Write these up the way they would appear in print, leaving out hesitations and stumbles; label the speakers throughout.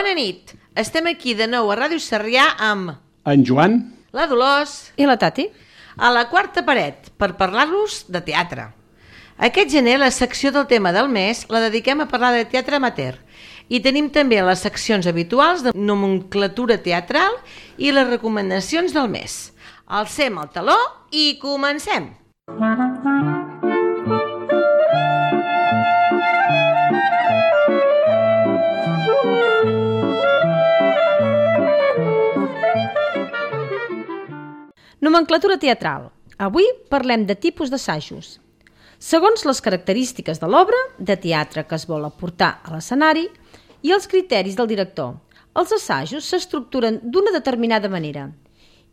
Speaker 1: Bona nit. Estem aquí de nou a Ràdio Sarrià amb
Speaker 2: en Joan,
Speaker 1: la Dolors
Speaker 3: i la Tati
Speaker 1: a la quarta paret per parlar-los de teatre. Aquest gener la secció del tema del mes la dediquem a parlar de teatre amateur i tenim també les seccions habituals de nomenclatura teatral i les recomanacions del mes. Alcem el taló i comencem!
Speaker 3: Nomenclatura teatral. Avui parlem de tipus d'assajos. Segons les característiques de l'obra de teatre que es vol aportar a l'escenari i els criteris del director, els assajos s'estructuren d'una determinada manera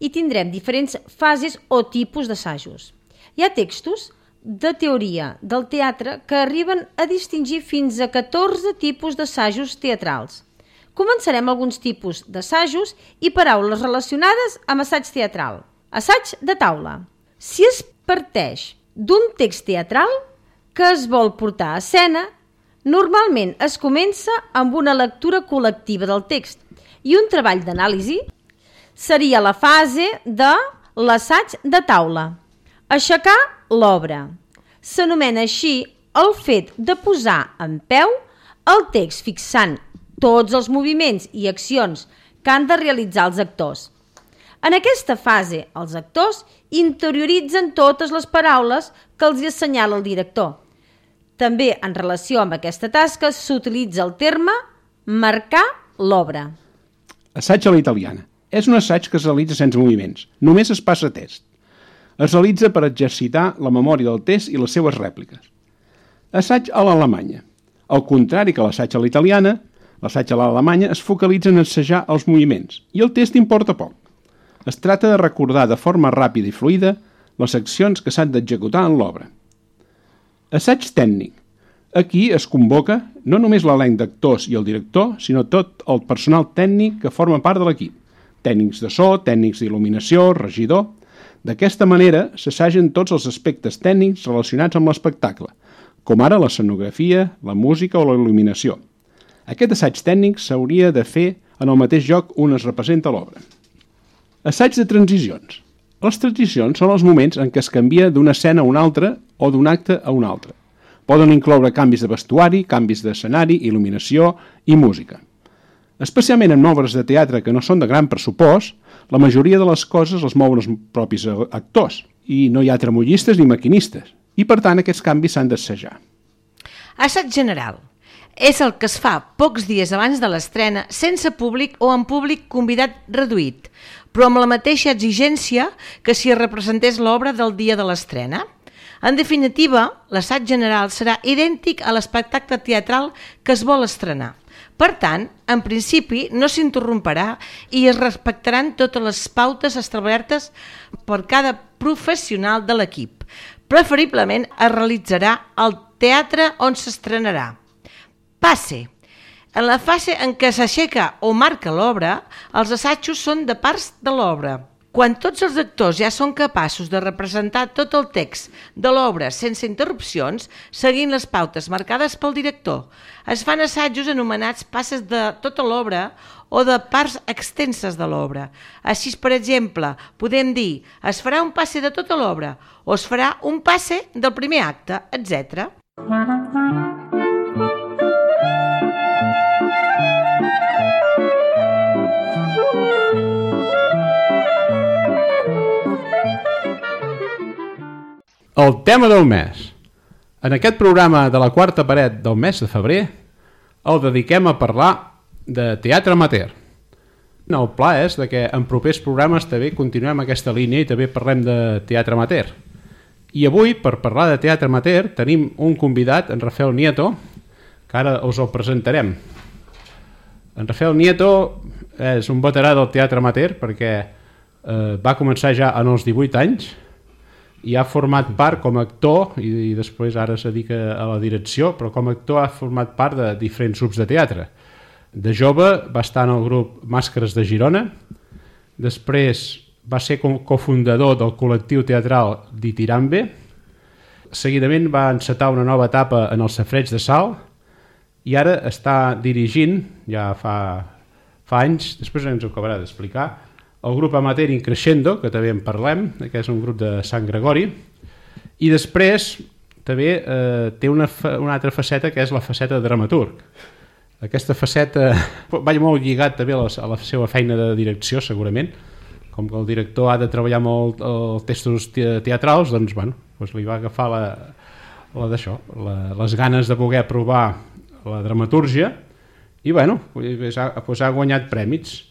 Speaker 3: i tindrem diferents fases o tipus d'assajos. Hi ha textos de teoria del teatre que arriben a distingir fins a 14 tipus d'assajos teatrals. Començarem alguns tipus d'assajos i paraules relacionades amb assaig teatral. Assaig de taula. Si es parteix d'un text teatral que es vol portar a escena, normalment es comença amb una lectura col·lectiva del text i un treball d'anàlisi seria la fase de l'assaig de taula. Aixecar l'obra. S'anomena així el fet de posar en peu el text fixant tots els moviments i accions que han de realitzar els actors. En aquesta fase, els actors interioritzen totes les paraules que els assenyala el director. També en relació amb aquesta tasca s'utilitza el terme marcar l'obra.
Speaker 2: assaig a la italiana. És un assaig que es realitza sense moviments, només es passa test. Es realitza per exercitar la memòria del test i les seues rèpliques. Assaig a l'alemanya. Al contrari que l'assaig a la italiana, l'assaig a l'alemanya es focalitza en assajar els moviments i el test importa poc. Es tracta de recordar de forma ràpida i fluida les accions que s'han d'executar en l'obra. Assaig tècnic. Aquí es convoca no només l'elenc d'actors i el director, sinó tot el personal tècnic que forma part de l'equip. Tècnics de so, tècnics d'il·luminació, regidor. D'aquesta manera s'assagen tots els aspectes tècnics relacionats amb l'espectacle, com ara l'escenografia, la música o la il·luminació. Aquest assaig tècnic s'hauria de fer en el mateix lloc on es representa l'obra. Assaig de transicions. Les transicions són els moments en què es canvia d'una escena a una altra o d'un acte a un altre. Poden incloure canvis de vestuari, canvis d'escenari, il·luminació i música. Especialment en obres de teatre que no són de gran pressupost, la majoria de les coses les mouen els propis actors i no hi ha tramollistes ni maquinistes i per tant aquests canvis s'han d'assajar.
Speaker 1: Assaig general. És el que es fa pocs dies abans de l'estrena sense públic o amb públic convidat reduït, però amb la mateixa exigència que si es representés l'obra del dia de l'estrena. En definitiva, l'assaig general serà idèntic a l'espectacle teatral que es vol estrenar. Per tant, en principi no s'interromperà i es respectaran totes les pautes establertes per cada professional de l'equip. Preferiblement es realitzarà al teatre on s'estrenarà. Passe. En la fase en què s'aixeca o marca l'obra, els assajos són de parts de l'obra. Quan tots els actors ja són capaços de representar tot el text de l'obra sense interrupcions, seguint les pautes marcades pel director, es fan assajos anomenats passes de tota l'obra o de parts extenses de l'obra. Així, per exemple, podem dir es farà un passe de tota l'obra o es farà un passe del primer acte, etc.
Speaker 4: El tema del mes. En aquest programa de la quarta paret del mes de febrer el dediquem a parlar de teatre amateur. El pla és que en propers programes també continuem aquesta línia i també parlem de teatre amateur. I avui, per parlar de teatre amateur, tenim un convidat, en Rafael Nieto, que ara us el presentarem. En Rafael Nieto és un veterà del teatre amateur perquè va començar ja en els 18 anys i ha format part com a actor i després ara es dedica a la direcció, però com a actor ha format part de diferents grups de teatre. De jove va estar en el grup Màscares de Girona, després va ser cofundador del col·lectiu teatral Ditirambe, seguidament va encetar una nova etapa en el Safareig de Salt i ara està dirigint, ja fa fa anys, després ens ho acabarà d'explicar, el grup amateur Increscendo, que també en parlem, que és un grup de Sant Gregori, i després també té una altra faceta, que és la faceta de dramaturg. Aquesta faceta va molt lligat també a la seva feina de direcció, segurament. Com que el director ha de treballar molt els textos teatrals, doncs, li va agafar les ganes de poder provar la dramatúrgia i ha guanyat prèmits.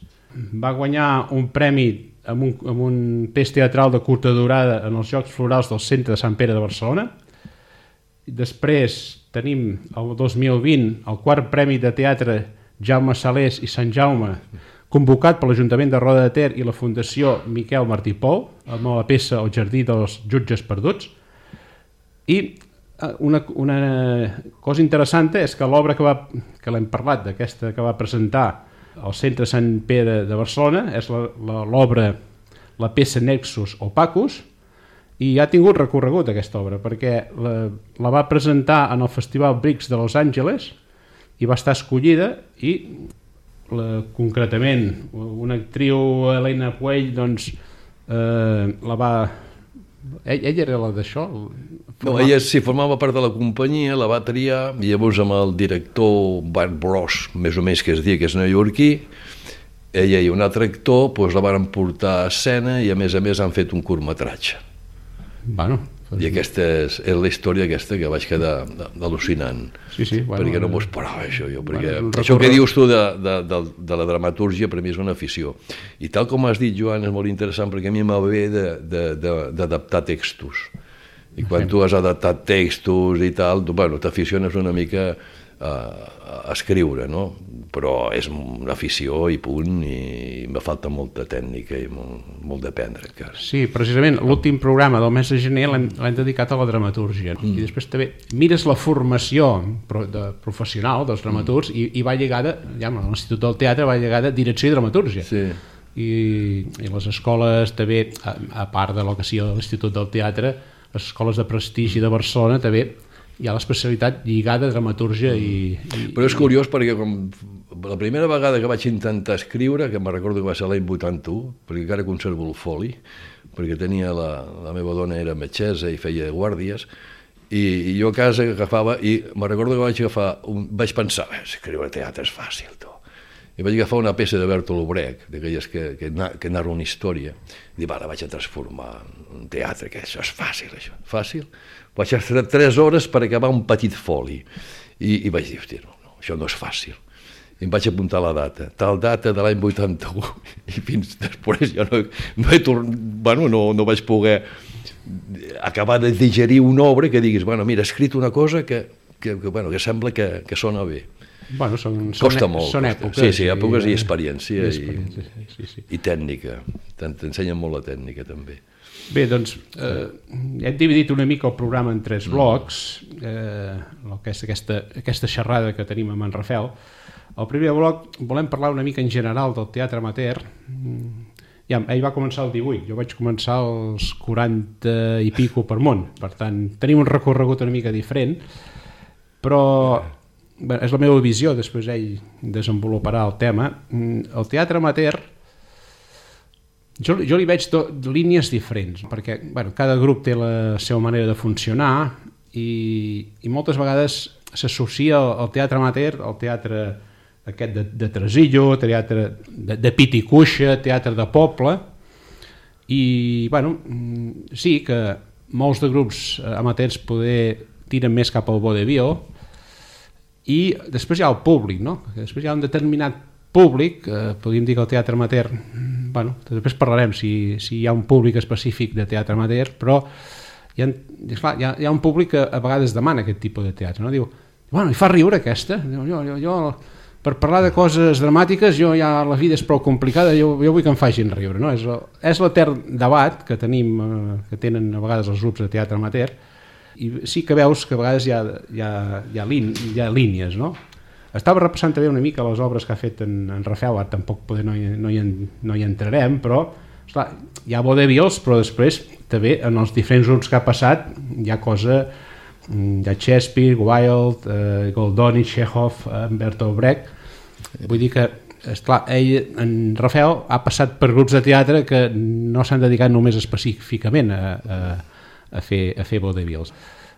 Speaker 4: Va guanyar un premi amb un text teatral de curta durada en els Jocs Florals del Centre de Sant Pere de Barcelona. Després tenim el 2020 el quart premi de teatre Jaume Salés i Sant Jaume, convocat per l'Ajuntament de Roda de Ter i la Fundació Miquel Martí Pou, amb la peça El jardí dels jutges perduts. I una cosa interessant és que l'obra que l'hem parlat, d'aquesta que va presentar al Centre Sant Pere de Barcelona, és l'obra, la peça Nexus Opacus, i ha tingut recorregut aquesta obra, perquè la va presentar en el Festival Brix de Los Angeles i va estar escollida i concretament una actriu, Elena Puell, doncs la va... Ella era la d'això?
Speaker 5: No, ella sí, formava part de la companyia, la va triar, i llavors amb el director Bart Bross, més o menys que es diu que és neoyorquí, ella i un altre actor la van portar a escena i a més han fet un curtmetratge. I aquesta és la història aquesta que vaig quedar al·lucinant, perquè no m'ho esperava això jo, perquè això que dius tu de la dramatúrgia per mi és una afició, i tal com has dit, Joan, és molt interessant perquè a mi m'ha ve d'adaptar textos, i quan tu has adaptat textos i tal, t'aficiones una mica a escriure, no? Però és una afició i punt, i me falta molta tècnica i molt d'aprendre encara.
Speaker 4: Sí, precisament l'últim programa del mes de gener l'hem dedicat a la dramatúrgia, i després també mires la formació professional dels dramaturgs i va lligada, ja a l'Institut del Teatre va lligada a direcció i dramatúrgia. I les escoles també, a part de lo que sigui l'Institut del Teatre, les escoles de prestigi de Barcelona també hi ha l'especialitat lligada a dramatúrgia
Speaker 5: Però és curiós perquè la primera vegada que vaig intentar escriure, que me'n recordo que va ser l'any 81, perquè encara conservo el foli, perquè tenia la meva dona era metgessa i feia guàrdies, i jo a casa agafava, i me'n recordo que vaig pensar, escriure teatre és fàcil, tu. I vaig agafar una peça de Bertolt Brecht, d'aquelles que narra una història, i dic, la vaig a transformar en teatre, que això és fàcil, això. Fàcil? Vaig estar 3 hores per acabar un petit foli, i vaig dir, hòstia, no, això no és fàcil. I em vaig apuntar la data, tal data de l'any 81, i fins després jo no vaig poder acabar de digerir una obra que diguis, mira, he escrit una cosa que sembla que sona bé. Costa molt.
Speaker 4: Són èpoques.
Speaker 5: Sí, èpoques i experiència i tècnica. T'ensenyen molt la tècnica, també.
Speaker 4: Bé, doncs, hem dividit una mica el programa en 3 blocs, aquesta xerrada que tenim amb en Rafel. El primer bloc volem parlar una mica en general del teatre amateur. Ell va començar el 18, jo vaig començar als 40 i pico per món, per tant, tenim un recorregut una mica diferent, però és la meva visió, després ell desenvoluparà el tema. El teatre amateur, jo li veig línies diferents, perquè cada grup té la seva manera de funcionar i moltes vegades s'associa el teatre amateur al teatre aquest de tresillo, teatre de pit i cuixa, teatre de poble, i sí que molts de grups amateurs tiren més cap al vodevil, i després hi ha el públic, no? Després hi ha un determinat públic, podríem dir que el teatre amateur, després parlarem si hi ha un públic específic de teatre amateur, però hi ha un públic que a vegades demana aquest tipus de teatre, no? Diu, i fa riure aquesta? Jo per parlar de coses dramàtiques, la vida és prou complicada, jo vull que em facin riure, no? És l'etern debat que tenen a vegades els grups de teatre amateur, i sí que veus que a vegades hi ha línies, no? Estava repassant també una mica les obres que ha fet en Rafel, ara tampoc no hi entrarem, però esclar, hi ha vodevils, però després també en els diferents grups que ha passat hi ha cosa, hi ha Shakespeare, Wilde, Goldoni, Chekhov, Bertolt Brecht, vull dir que esclar, en Rafael ha passat per grups de teatre que no s'han dedicat només específicament a fer vodevils.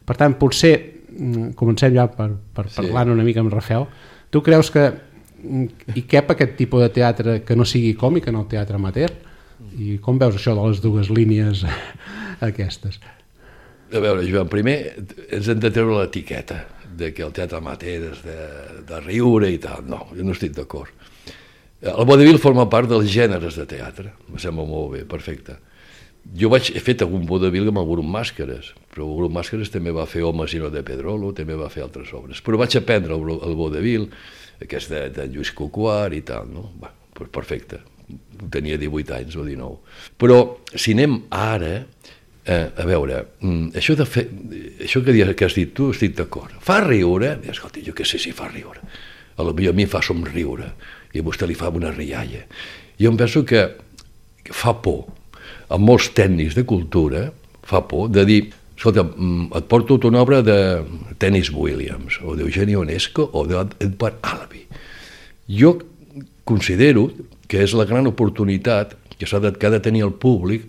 Speaker 4: Per tant, potser comencem ja per parlar una mica amb Rafael. Tu creus que hi cap aquest tipus de teatre que no sigui còmic en el teatre amateur? I com veus això de les dues línies aquestes?
Speaker 5: A veure, Joan, primer ens hem de treure l'etiqueta de que el teatre amateur és de riure i tal. No, jo no estic d'acord. El vodevil forma part dels gèneres de teatre. Em sembla molt bé, perfecte. Jo he fet algun vodevil amb el grup Màscares, però el grup Màscares també va fer Homes i no de Pedrolo, també va fer altres obres. Però vaig aprendre el vodevil, aquest de Lluís Coquart i tal, no? Va, perfecte. Tenia 18 anys o 19. Però si anem ara... a veure, això que has dit tu, estic d'acord. Fa riure? Escolta, jo què sé si fa riure. A mi fa somriure i a vostè li fa una rialla. Jo em penso que fa por. A molts tècnics de cultura fa por de dir, escolta, et porto una obra de Dennis Williams o d'Eugeni Ionesco o d'Edward Albee. Jo considero que és la gran oportunitat que ha de tenir el públic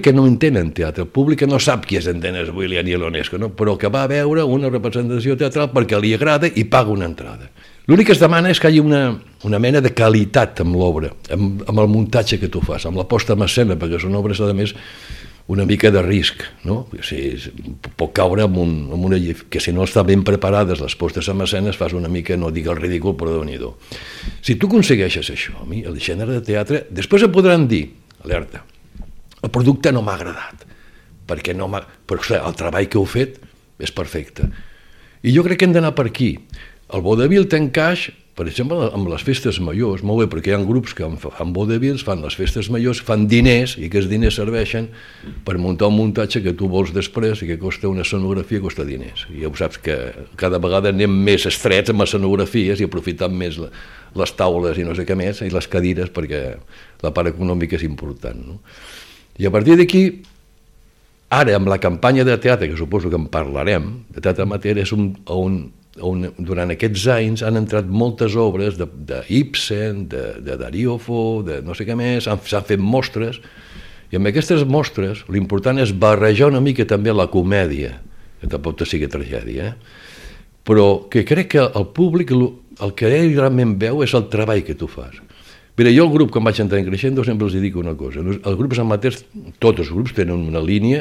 Speaker 5: que no entén en teatre, el públic que no sap qui és en Dennis Williams i l'Ionesco, no? Però que va a veure una representació teatral perquè li agrada i paga una entrada. L'únic que es demana és que hi hagi una mena de qualitat amb l'obra, amb el muntatge que tu fas, amb la posta en escena, perquè són obres, a més, una mica de risc, no? Pot caure amb una que si no estan ben preparades les postes en escena fas una mica, no dic el ridícul, però déu-n'hi-do. Si tu aconsegueixes això, a mi, el gènere de teatre, després et podran dir, alerta, el producte no m'ha agradat, però el treball que heu fet és perfecte. I jo crec que hem d'anar per aquí. El vodevil té encaix, per exemple, amb les festes majors, molt bé, perquè hi ha grups que fan vodevils, fan les festes majors, fan diners, i aquests diners serveixen per muntar un muntatge que tu vols després i que costa una escenografia, costa diners. I ja ho saps que cada vegada anem més estrets amb escenografies i aprofitant més les taules i no sé què més, i les cadires, perquè la part econòmica és important, no? I a partir d'aquí, ara amb la campanya de teatre, que suposo que en parlarem, de teatre amateur, és on durant aquests anys han entrat moltes obres d'Ibsen, de Darío Fo, de no sé què més, s'han fet mostres, i amb aquestes mostres l'important és barrejar una mica també la comèdia, que tampoc sigui tragèdia, però que crec que el públic el que ell realment veu és el treball que tu fas. Mira, jo el grup, quan vaig entrar en Creixendo, sempre els dic una cosa. Els grups amateurs, tots els grups tenen una línia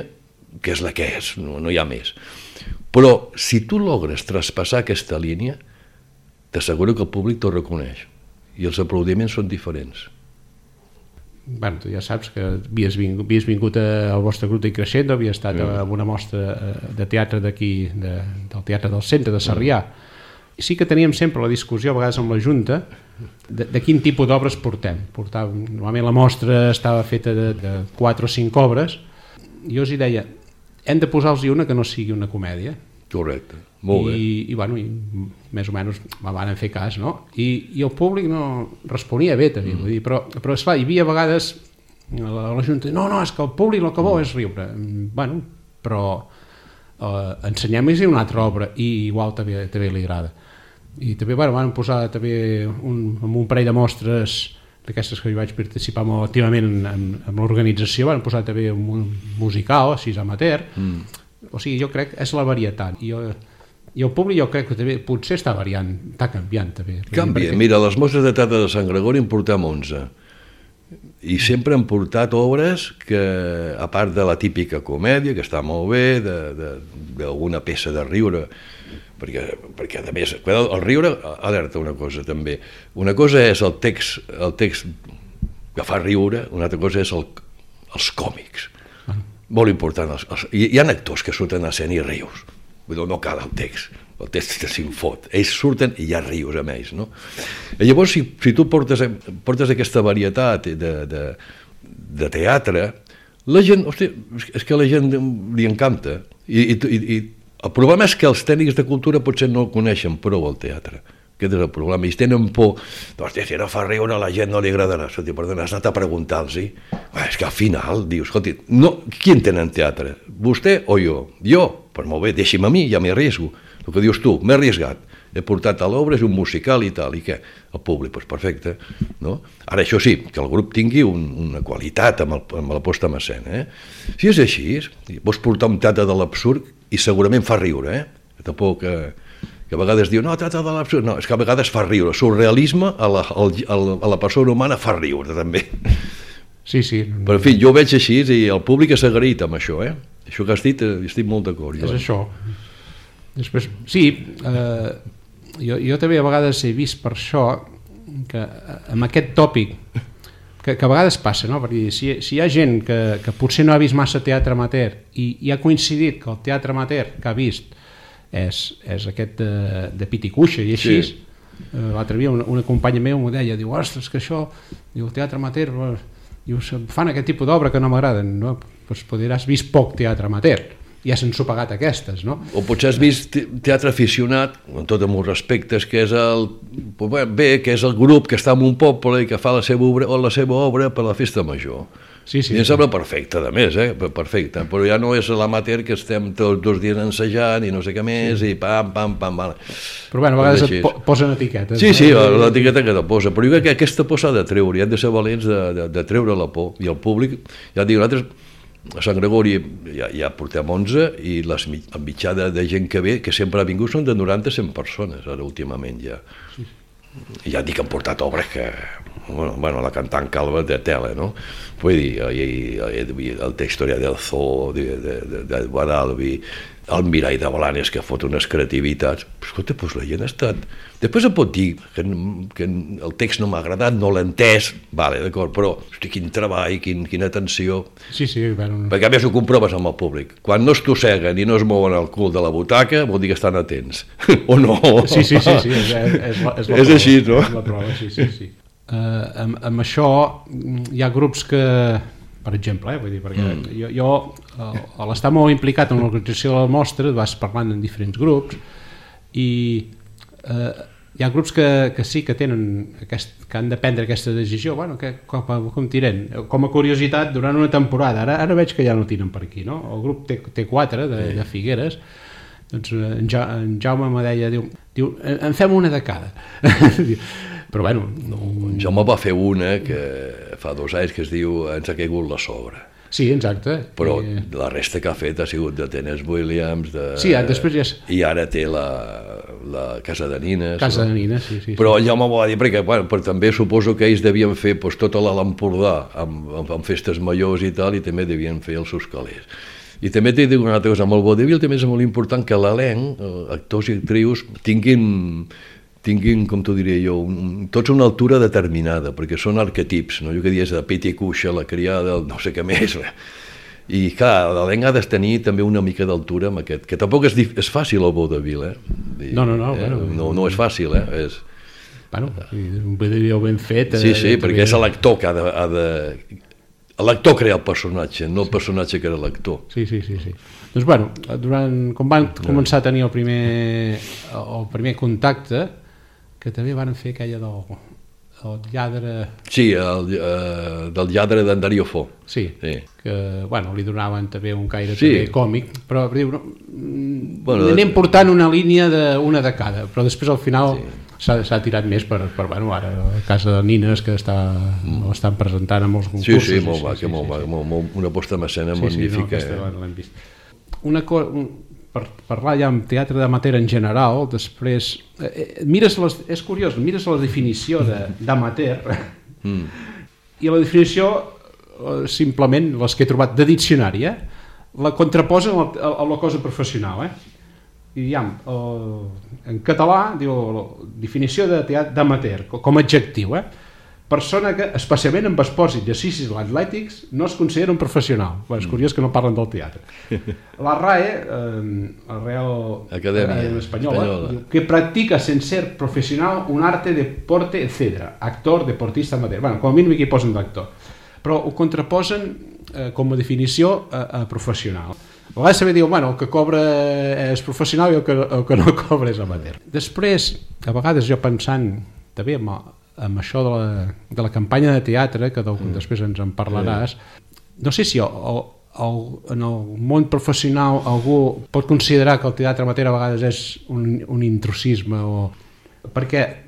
Speaker 5: que és la que és, no hi ha més. Però si tu logres traspassar aquesta línia, t'asseguro que el públic t'ho reconeix. I els aplaudiments són diferents.
Speaker 4: Bueno, tu ja saps que havies vingut al vostre grup de Creixendo, havies estat en una mostra de teatre d'aquí, del Teatre del Centre, de Sarrià. Sí que teníem sempre la discussió, a vegades amb la Junta, de quin tipus d'obres portem. Normalment la mostra estava feta de 4 o 5 obres, i jo els deia, hem de posar-los una que no sigui una comèdia.
Speaker 5: Correcte, molt bé.
Speaker 4: I més o menys me van fer cas, no? I el públic no responia bé, també, vull dir, però esclar, hi havia vegades la Junta, no, és que el públic el que vol és riure. Bueno, però ensenyem-los una altra obra i igual també li agrada. I també van posar també un parell de mostres d'aquestes que jo vaig participar molt activament en l'organització, van posar també un musical, així amateur. O sigui, jo crec que és la varietat. I el públic jo crec que també potser està variant, està canviant també.
Speaker 5: Canvia. Mira, les mostres de teatre de Sant Gregori en portem 11. I sempre han portat obres que, a part de la típica comèdia, que està molt bé, d'alguna peça de riure, perquè a més, el riure alerta una cosa també. Una cosa és el text que fa riure, una altra cosa és els còmics. Molt important. Hi ha actors que surten a escena i rius. No cal el text se'n fot. Ells surten i ja rius amb ells, no? I llavors, si tu portes aquesta varietat de teatre, la gent, hòstia, és que a la gent li encanta. I el problema és que els tècnics de cultura potser no coneixen prou el teatre. Aquest és el problema. I tenen por. Hòstia, si no fa riure a la gent no li agradarà. Perdona, has anat a preguntar-los. És que al final dius, escolti, qui entén en teatre? Vostè o jo? Jo? Pues molt bé, deixi'm a mi, ja m'hi arriesgo. El que dius tu, m'he arriesgat. he portat a l'obra, és un musical i tal, i què? El públic, doncs perfecte, no? Ara, això sí, que el grup tingui una qualitat amb la posta en escena, Si és així, vols portar un teatre de l'absurd i segurament fa riure, Tampoc que a vegades diu, no, teatre de l'absurd, no, és que a vegades fa riure, el surrealisme a la persona humana fa riure, també.
Speaker 4: Sí.
Speaker 5: Però, en fi, jo ho veig així i el públic s'ha agraït amb això, Això que has dit, estic molt d'acord.
Speaker 4: És això. Després, sí, jo també a vegades he vist per això que amb aquest tòpic que a vegades passa, no? Perquè si hi ha gent que potser no ha vist massa teatre amateur i ha coincidit que el teatre amateur que ha vist és aquest de pit i cuixa i així, l'altre dia una companya meva m'ho deia, diu, ostres, que això, diu, el teatre amateur, diu, fan aquest tipus d'obra que no m'agraden, no? Doncs potser has vist poc teatre amateur, ja s'han sopegat aquestes, no?
Speaker 5: O potser has vist teatre aficionat, amb tot amb els respectes, que és que és el grup que està en un poble i que fa la seva obra per la festa major.
Speaker 4: Sí.
Speaker 5: I em sembla perfecte, a més, perfecte, però ja no és l'amateur que estem tots 2 dies ensajant i no sé què més, i pam, vale.
Speaker 4: Però bueno, a vegades et posen etiquetes.
Speaker 5: Sí, l'etiqueta que te posa, però jo crec que aquesta por s'ha de treure, i hem de ser valents de treure la por, i el públic, ja et dic, nosaltres a Sant Gregori ja portem 11 i la mitjana de gent que ve, que sempre ha vingut, són de 90-100 persones, ara últimament ja. I ja et dic que han portat obres que, bueno, la cantant Calva de tela, no? Vull dir, el Historia del Zoo, de Guadalbi, el Mirall de Blanes, que fot unes creativitats. Però escolta, doncs la gent ha estat... Després em pot dir que el text no m'ha agradat, no l'he entès, vale, d'acord, però hosti, quin treball, quina atenció...
Speaker 4: Sí, bueno...
Speaker 5: Perquè a més ho comproves amb el públic. Quan no es tosseguen i no es mouen el cul de la butaca, vol dir que estan atents. O no?
Speaker 4: Sí, és la prova.
Speaker 5: És així, no?
Speaker 4: És la prova, sí. Amb això hi ha grups que, per exemple, vull dir, perquè jo a l'estar molt implicat en l'organització de la mostra vas parlant en diferents grups i hi ha grups que sí que tenen que han de prendre aquesta decisió, bueno, com tirem, com a curiositat durant una temporada, ara veig que ja no tiren per aquí, no? El grup té 4 de Figueres, doncs en Jaume me deia, diu en fem una de cada. Però bueno...
Speaker 5: En Jaume va fer una que fa 2 anys que es diu Ens ha caigut la sobra.
Speaker 4: Sí, exacte.
Speaker 5: Però la resta que ha fet ha sigut de Tennessee Williams,
Speaker 4: sí, després ja...
Speaker 5: i ara té la Casa de Nines.
Speaker 4: Casa de Nines, sí.
Speaker 5: Però el Jaume m'ho va dir, perquè també suposo que ells devien fer tota l'Empordà amb festes majors i tal, i també devien fer els seus calés. I també t'he dit una altra cosa, amb el vodevil també és molt important que l'elenc, actors i actrius, tinguin, com t'ho diria jo, tots una altura determinada, perquè són arquetips, no? Jo que dies de pit i cuixa, la criada, no sé què més. I clar, l'elenc ha de tenir també una mica d'altura amb aquest, que tampoc és fàcil el vodevil,
Speaker 4: No,
Speaker 5: no és fàcil,
Speaker 4: Bueno, un vodevil ben fet...
Speaker 5: Sí, perquè és l'actor que ha de... L'actor crea el personatge, no el personatge que era l'actor.
Speaker 4: Sí. Doncs bueno, quan van començar a tenir el primer contacte, que també van fer aquella del lladre...
Speaker 5: Sí, del lladre d'en Darío Fo.
Speaker 4: Sí, que bueno, li donaven també un caire també còmic, però anem portant una línia d'una de cada, però després al final... S'ha tirat més per bueno, ara a Casa de Nines, que l'estan presentant a molts concursos.
Speaker 5: Sí, molt va, una posta en escena magnífica.
Speaker 4: L'hem vist. Per parlar ja amb teatre d'amateur en general, després és curiós, mires la definició d'amateur i la definició simplement, les que he trobat de diccionari, la contraposen a la cosa professional, i en català diu definició d'amateur com a adjectiu, persona que especialment amb esports i exercicis atlètics no es considera un professional. És curiós que no parlen del teatre. La RAE, la Real Academia Espanyola, diu que practica sin ser professional un arte, deporte, etc. Actor, deportista, amateur. Bueno, com a mínim aquí posen d'actor, però ho contraposen com a definició a professional. A vegades també diu, el que cobra és professional i el que no cobra és amateur. Després, a vegades jo pensant també amb això de la campanya de teatre, que després ens en parlaràs, no sé si en el món professional algú pot considerar que el teatre amateur a vegades és un intrusisme perquè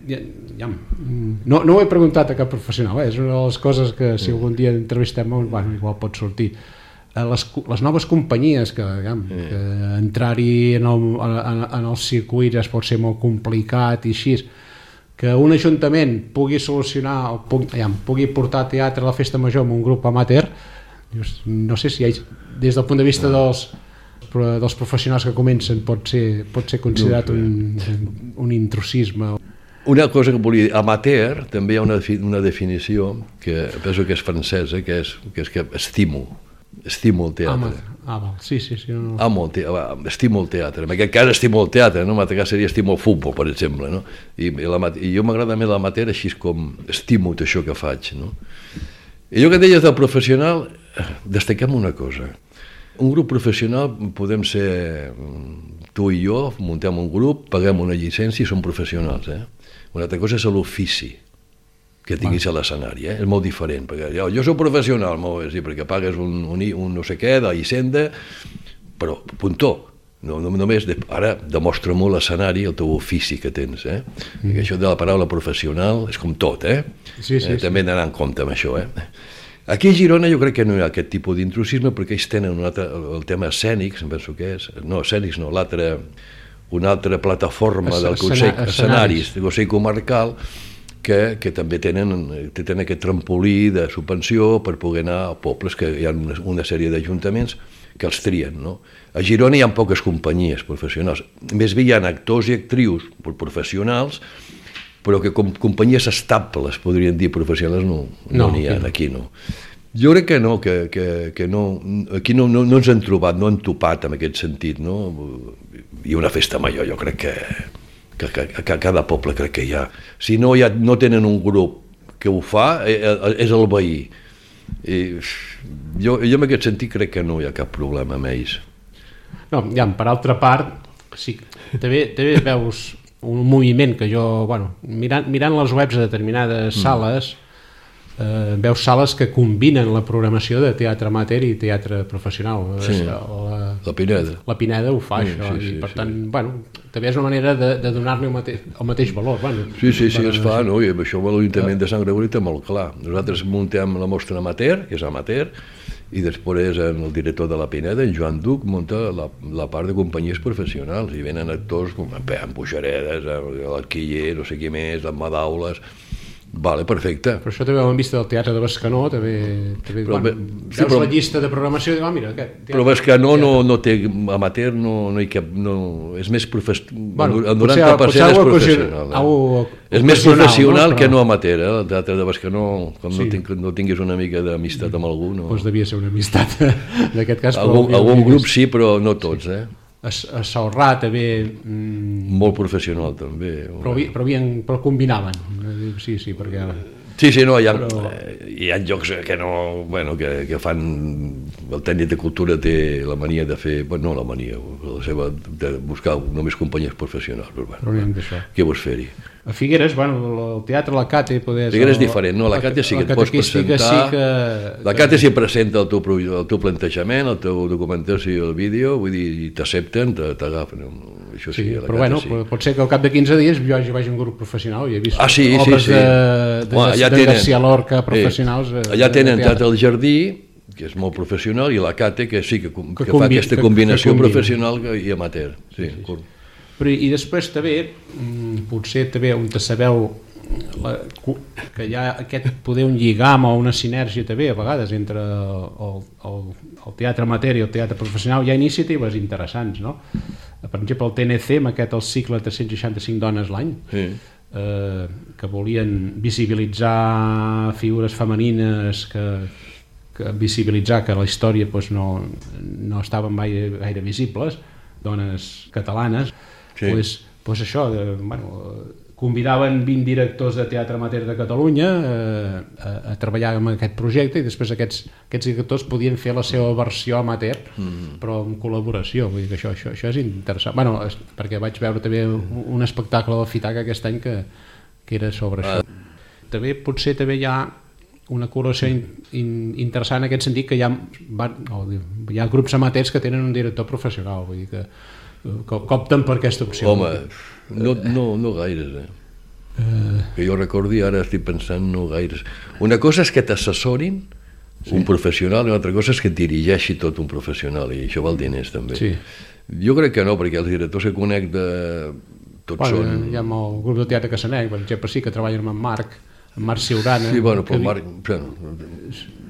Speaker 4: no ho he preguntat a cap professional, és una de les coses que si algun dia entrevistem igual pot sortir. Les noves companyies que entrar-hi en el circuit es pot ser molt complicat i així, que un ajuntament pugui solucionar pugui portar teatre a la festa major amb un grup amateur, no sé si des del punt de vista dels professionals que comencen pot ser considerat un intrusisme.
Speaker 5: Una cosa que volia dir, amateur, també hi ha una definició que penso que és francesa, que és que estimo el teatre.
Speaker 4: Sí.
Speaker 5: Estimo el teatre. En aquest cas estimo el teatre, no? En aquest cas seria estimo el futbol, per exemple, no? I jo m'agrada més l'amateur així com estimo tot això que faig, no? I jo que deies del professional, destaquem una cosa. Un grup professional podem ser tu i jo, muntem un grup, paguem una llicència i som professionals, Una altra cosa és l'ofici que tinguis a l'escenari, És molt diferent, perquè jo soc professional, sí, perquè pagues un no sé què de Hisenda, però puntó, només ara demostra molt l'escenari, el teu ofici que tens, perquè això de la paraula professional és com tot, també hem d'anar en compte amb això, Aquí a Girona jo crec que no hi ha aquest tipus d'intrusisme perquè ells tenen el tema escènics, em penso que és, escènics no, una altra plataforma del Consell Escenaris, del Consell Comarcal, que també tenen aquest trampolí de subvenció per poder anar a pobles, que hi ha una sèrie d'ajuntaments que els trien, no? A Girona hi ha poques companyies professionals, més bé hi ha actors i actrius professionals, però que com companyies estables, podrien dir, professionals, no n'hi ha, aquí no. Jo crec que no, que no, aquí no ens hem trobat, no hem topat en aquest sentit, no? I una festa major, jo crec que a cada poble crec que hi ha. Si no tenen un grup que ho fa, és el veí. I jo en aquest sentit crec que no hi ha cap problema amb ells.
Speaker 4: No, per altra part, sí, també veus un moviment que jo, mirant les webs de determinades sales, veus sales que combinen la programació de teatre amateur i teatre professional.
Speaker 5: Sí, la Pineda.
Speaker 4: La Pineda ho fa, això, i per tant, també és una manera de donar-li el mateix valor.
Speaker 5: Sí, es fa, no? I això l'Ajuntament de Sant Gregori té molt clar. Nosaltres muntem la mostra amateur, que és amateur, i després el director de la Pineda, en Joan Duc, munta la part de companyies professionals i venen actors com en Buixaredes, l'Arquiller, no sé qui més, en Madaules. Vale, perfecte.
Speaker 4: Però això també ho hem vist del Teatre de Bescanó, veus la llista de programació i dius, mira, aquest...
Speaker 5: Però Bescanó no té amateur, no hi cap... és més professional. El 90% és professional. És més professional que no amateur, el Teatre de Bescanó, com no tinguis una mica d'amistat amb algú, no...
Speaker 4: Doncs devia ser una amistat, en aquest cas.
Speaker 5: Algun grup sí, però no tots,
Speaker 4: A Salrà també...
Speaker 5: Molt professional també.
Speaker 4: Però combinaven. Sí, perquè...
Speaker 5: Sí, no, hi ha llocs que no... que fan... El tècnic de cultura té la mania de fer... No la mania, la seva... de buscar només companyies professionals. Què vols fer-hi?
Speaker 4: A Figueres, el teatre, la Cate...
Speaker 5: Figueres és diferent, no? La Cate sí que et pots presentar... La Cate sí presenta el teu plantejament, el teu documentació, el vídeo, vull dir, i t'accepten, t'agafen. Això sí,
Speaker 4: però pot ser que al cap de 15 dies jo vagi un grup professional i he vist
Speaker 5: obres
Speaker 4: de García Lorca professionals.
Speaker 5: Allà tenen Teatre al Jardí, que és molt professional, i la Cate, que sí que fa aquesta combinació professional i amateur. Sí.
Speaker 4: I després també, potser també on te sabeu que hi ha aquest poder un lligam o una sinergia també a vegades entre el teatre amateur i el teatre professional, hi ha iniciatives interessants, no? Per exemple, el TNC, amb aquest el cicle 365 dones l'any, que volien visibilitzar figures femenines, visibilitzar que la història no estaven gaire visibles, dones catalanes. Doncs això, convidaven 20 directors de teatre amateur de Catalunya a treballar en aquest projecte i després aquests directors podien fer la seva versió amateur, però en col·laboració. Vull dir que això és interessant. Perquè vaig veure també un espectacle del Fitaca aquest any que era sobre això. Potser també hi ha una col·laboració interessant en aquest sentit, que hi ha grups amateurs que tenen un director professional, vull dir que opten per aquesta opció.
Speaker 5: Home, no gaires, que jo recordi, ara estic pensant, no gaires. Una cosa és que t'assessorin un professional i una altra cosa és que et dirigeixi tot un professional, i això val diners també.
Speaker 4: Sí.
Speaker 5: Jo crec que no, perquè els directors que conec tots són...
Speaker 4: Hi ha el grup de teatre Cassanet, per exemple, sí, que treballa amb en Marc Ciurana.
Speaker 5: Sí, bueno, però Marc...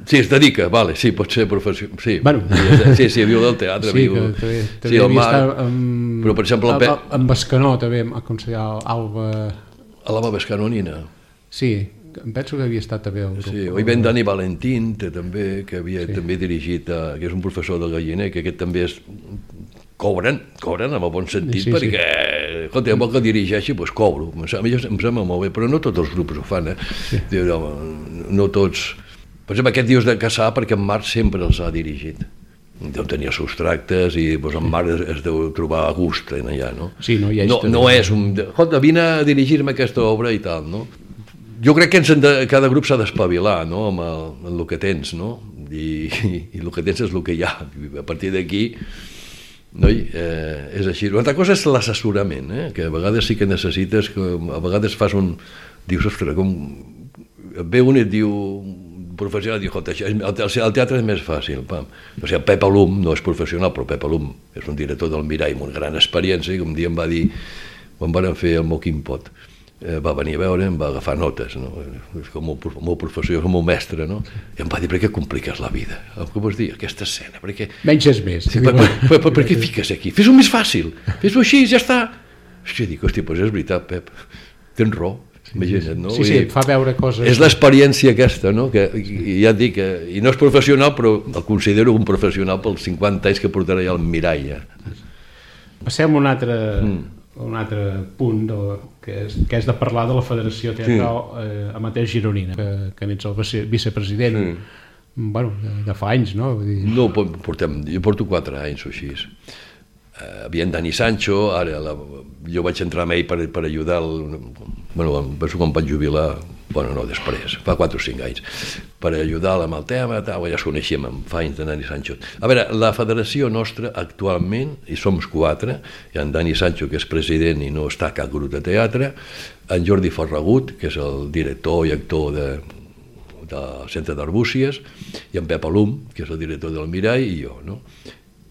Speaker 5: Sí, es dedica, vale, sí, pot ser professional. Sí, sí, viu del teatre.
Speaker 4: Sí, que també
Speaker 5: el
Speaker 4: Marc...
Speaker 5: Però, per exemple,
Speaker 4: amb Bescanó, també, em aconseguia Alba...
Speaker 5: L'Alba Bescanonina.
Speaker 4: Sí, em penso que havia estat també el grup.
Speaker 5: Sí, o hi ven Dani Valentín, també, que havia també dirigit, que és un professor del Galliner, que aquest també és... Cobren en el bon sentit, perquè, escolta, vol que dirigeixi, doncs cobro. A mi em sembla molt bé, però no tots els grups ho fan,
Speaker 4: Sí.
Speaker 5: No tots... Per exemple, aquest dius de Cassà, perquè en Marc sempre els ha dirigit. Deu tenir els seus tractes i doncs, en Marc es deu trobar a gust allà, no?
Speaker 4: Sí, no hi ha
Speaker 5: no és un... Escolta, vine a dirigir-me aquesta obra i tal, no? Jo crec que cada grup s'ha d'espavilar, no?, amb el que tens, no? I el que tens és el que hi ha. A partir d'aquí, és així. Una altra cosa és l'assessorament, que a vegades sí que necessites, que a vegades fas un... Dius, ostres, com... Ve un i et diu... professional, diu, el teatre és més fàcil. Pam. O sigui, Pep Alum no és professional, però Pep Alum és un director del Mirall amb una gran experiència, i un dia em va dir, quan van fer el Moquim Pot, va venir a veure, em va agafar notes, no? És com el meu professor, com el meu mestre, no? I em va dir, per què compliques la vida? Què vols dir? Aquesta escena, per què...
Speaker 4: Menys és més.
Speaker 5: Sí, per què fiques aquí? Fes-ho més fàcil, fes-ho així, ja està. Hòstia, dic, hòstia, doncs és veritat, Pep, tens raó. Imagina't, no?
Speaker 4: Sí, et fa veure coses...
Speaker 5: És l'experiència aquesta, no? Que ja et dic, i no és professional, però el considero un professional pels 50 anys que portarà ja al Mirall.
Speaker 4: Passem a un altre punt, que és de parlar de la Federació Teatral Amateur Gironina, que n'ets el vicepresident, de fa anys, no?
Speaker 5: No, jo porto 4 anys o així. Havia en Dani Sancho, ara jo vaig entrar amb ell per ajudar penso quan vaig jubilar, després, fa 4 o 5 anys, per ajudar-lo amb el tema, ja es coneixíem fa anys de Dani Sancho. A veure, la federació nostra actualment, i som 4, hi ha en Dani Sancho, que és president i no està a cap grup de teatre, en Jordi Ferragut, que és el director i actor del Centre d'Arbúcies, i en Pep Alum, que és el director del Mirall, i jo, no?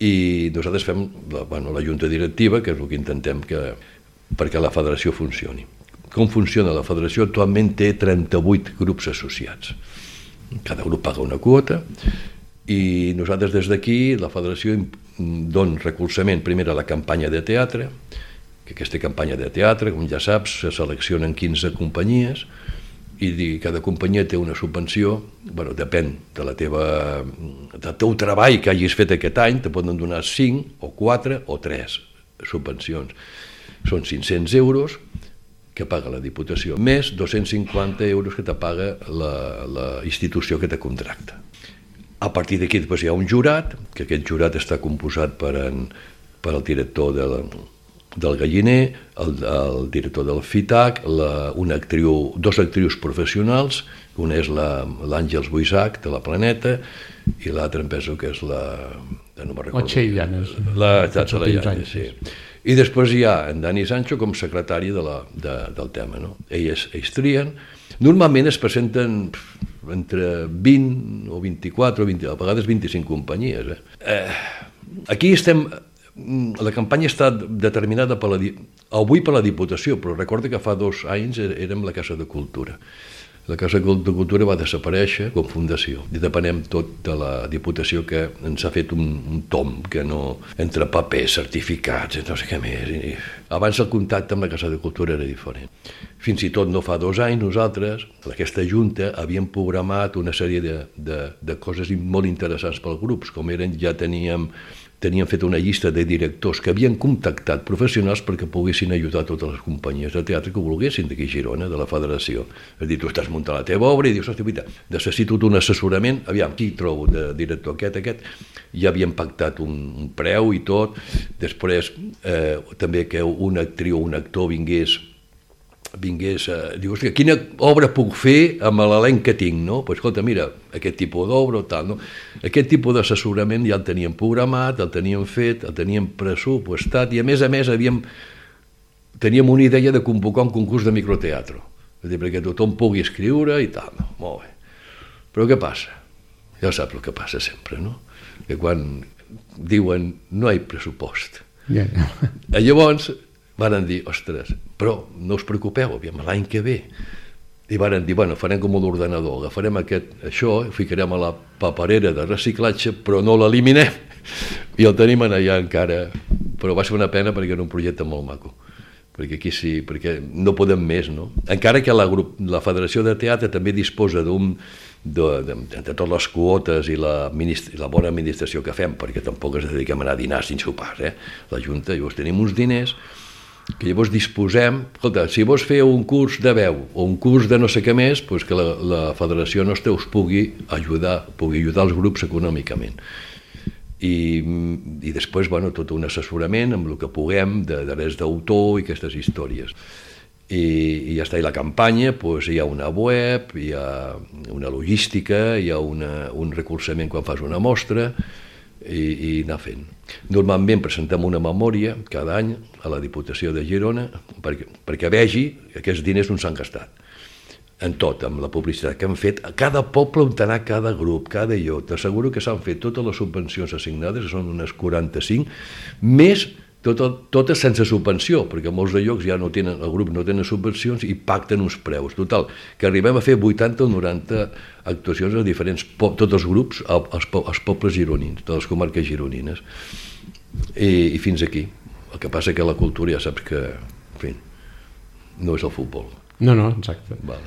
Speaker 5: I nosaltres fem la junta directiva, que és el que intentem perquè la federació funcioni. Com funciona la federació? Actualment té 38 grups associats. Cada grup paga una quota i nosaltres des d'aquí, la federació, dona recolzament primer a la campanya de teatre, que aquesta campanya de teatre, com ja saps, se seleccionen 15 companyies i cada companyia té una subvenció, depèn del teu treball que hagis fet aquest any, te poden donar 5 o 4 o 3 subvencions. Són 500 euros que paga la Diputació, més 250 euros que te paga la institució que te contracta. A partir d'aquí hi ha un jurat, que aquest jurat està composat per el director del Galliner, el director del FITAC, dos actrius professionals, una és l'Àngels Buisac, de la Planeta, i l'altra em penso que és no me'n recordo.
Speaker 4: La Txell Llanes.
Speaker 5: La Llanes, sí. I després hi ha en Dani Sancho com secretari del tema, no? Ells trien. Normalment es presenten entre 20 o 24 o 20, a vegades 25 companyies. Aquí estem... La campanya està determinada avui per la Diputació, però recorda que fa 2 anys érem la Casa de Cultura. La Casa de Cultura va desaparèixer com fundació i depenem tot de la Diputació, que ens ha fet un tom que no... entre papers, certificats, no sé què més. Abans el contacte amb la Casa de Cultura era diferent. Fins i tot no fa 2 anys nosaltres, aquesta junta, havíem programat una sèrie de coses molt interessants pels grups, com eren, ja teníem fet una llista de directors que havien contactat professionals perquè poguessin ajudar totes les companyies de teatre que volguessin d'aquí a Girona, de la federació. És a dir, tu estàs muntant la teva obra i dius, hòstia, necessito un assessorament, aviam, qui trobo de director aquest, ja havíem pactat un preu i tot, després també que una actriu o un actor vingués vingués diu, hòstia, quina obra puc fer amb l'elenc que tinc, no? Pues, escolta, mira, aquest tipus d'obra o tal, no? Aquest tipus d'assessorament ja el teníem programat, el teníem fet, el teníem pressupostat i a més teníem una idea de convocar un concurs de microteatre, és a dir, perquè tothom pugui escriure i tal, no? Molt bé. Però què passa? Ja saps el que passa sempre, no? Que quan diuen no hi ha pressupost. Llavors varen dir, ostres, però no us preocupeu, aviam, l'any que ve. I varen dir, bueno, farem com l'ordenador, agafarem això, ficarem a la paperera de reciclatge, però no l'eliminem. I el tenim allà encara. Però va ser una pena perquè era un projecte molt maco. Perquè aquí sí, perquè no podem més, no? Encara que la Federació de Teatre també disposa de totes les quotes i la bona administració que fem, perquè tampoc ens dediquem a anar a dinar sense sopars, la Junta, llavors tenim uns diners que llavors disposem, escolta, si vols fer un curs de veu o un curs de no sé què més, doncs que la Federació nostra us pugui ajudar els grups econòmicament. I després, bueno, tot un assessorament amb el que puguem de drets d'autor i aquestes històries. I ja està, i la campanya, doncs hi ha una web, hi ha una logística, hi ha un recolzament quan fas una mostra, i anar fent. Normalment presentem una memòria cada any a la Diputació de Girona perquè vegi que aquests diners no s'han gastat en tot, amb la publicitat que han fet a cada poble on anar cada grup, cada allò. T'asseguro que s'han fet totes les subvencions assignades, que són unes 45, més totes sense subvenció, perquè molts de llocs ja no tenen, el grup no tenen subvencions i pacten uns preus. Total, que arribem a fer 80 o 90 actuacions a diferents, tots els grups, als pobles gironins, de les comarques gironines. I fins aquí. El que passa que la cultura ja saps que, en fi, no és el futbol.
Speaker 4: No, exacte.
Speaker 5: Vale.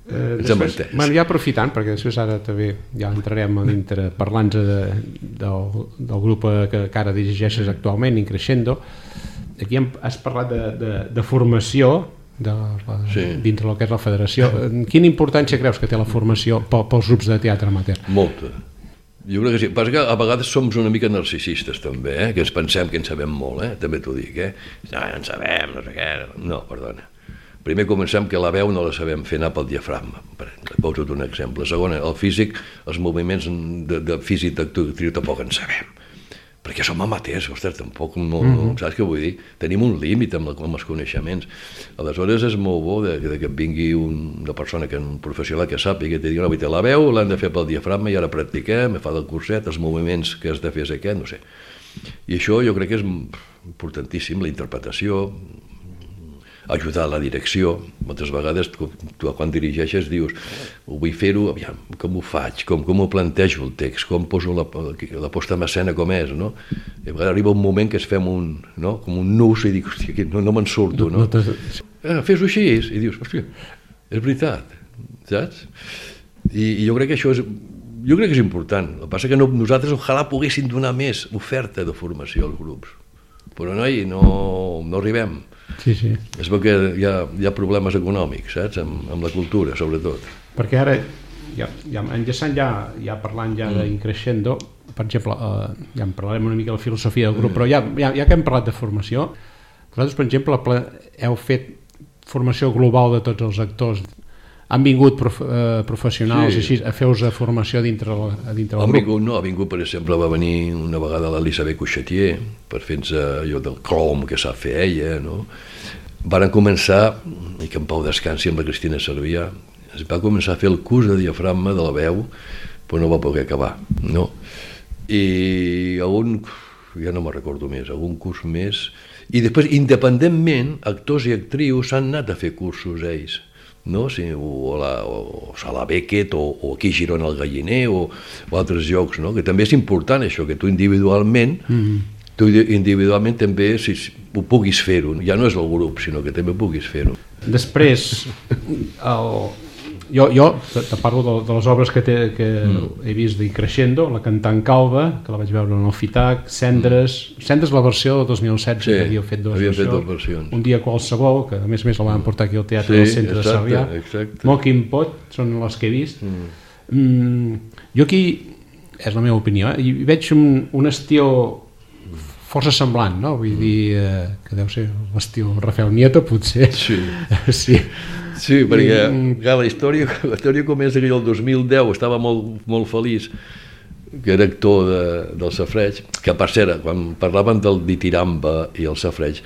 Speaker 4: Després, ja aprofitant, perquè després ara també ja entrarem a dintre parlant-nos del grup que ara dirigeixes actualment, Increscendo. Aquí has parlat de formació dintre el que és la federació. Quina importància creus que té la formació pels grups de teatre amateur?
Speaker 5: Molta. Jo crec que sí. Passa que a vegades som una mica narcisistes també, que ens pensem que en sabem molt, també t'ho dic, no en sabem, no sé què. No, perdona. Primer comencem que la veu no la sabem fer anar pel diafragma, poso un exemple. Segon, el físic, els moviments de físic d'actriu tampoc en sabem, perquè som amateurs, ostres, tampoc, saps què vull dir? Tenim un límit amb els coneixements. Aleshores és molt bo que vingui una persona, un professional que sàpiga, que digui, no, la veu l'han de fer pel diafragma i ara practiquem, fa del curset, els moviments que has de fer és aquest, no sé. I això jo crec que és importantíssim, la interpretació, ajudar a la direcció. Moltes vegades tu quan dirigeixes dius vull fer-ho, aviam, com ho faig, com ho plantejo el text, com poso la posta en escena com és, no? I a vegades arriba un moment que es fem com un nus i dic, hòstia, no me'n surto, no? Fes-ho així, i dius, hòstia, és veritat, saps? I jo crec que això és important. El que passa que nosaltres ojalà poguéssim donar més oferta de formació als grups, però no arribem.
Speaker 4: Sí.
Speaker 5: És perquè hi ha problemes econòmics, saps? Amb la cultura, sobretot.
Speaker 4: Perquè ara, enllaçant ja parlant d'Increscendo, per exemple, ja en parlarem una mica de la filosofia del grup, però ja que hem parlat de formació, vosaltres, per exemple, heu fet formació global de tots els actors. Han vingut professionals així a fer-vos formació dintre del grup?
Speaker 5: Ha vingut, per exemple, va venir una vegada l'Elisabeth Couchetier per fer-nos allò del crom que sap fer ella, no? Varen començar, i que en pau descansi amb la Cristina Servià, es va començar a fer el curs de diafragma de la veu, però no va poder acabar, no? I ja no me'n recordo més, algun curs més, i després, independentment, actors i actrius han anat a fer cursos ells, no? O a la Beckett o aquí a Girona al Galliner o altres llocs, no? Que també és important això, que tu individualment també ho puguis fer-ho, ja no és el grup sinó que també puguis fer-ho.
Speaker 4: Després jo te parlo de les obres que he vist d'Increscendo, La cantant calba, que la vaig veure en el FITAC, Cendres, la versió del 2016, que havíeu fet dues versions. Un dia qualsevol, que a més la van portar aquí al teatre del centre de Sarrià. Mocking Pot, són les que he vist. Jo aquí, és la meva opinió, hi veig un estil força semblant, no? Vull dir que deu ser l'estil Rafael Nieto, potser.
Speaker 5: Sí.
Speaker 4: Sí.
Speaker 5: Sí, perquè la història comença que jo el 2010 estava molt feliç, que era actor del safareig, que per cert, quan parlaven del ditiramba i el safareig,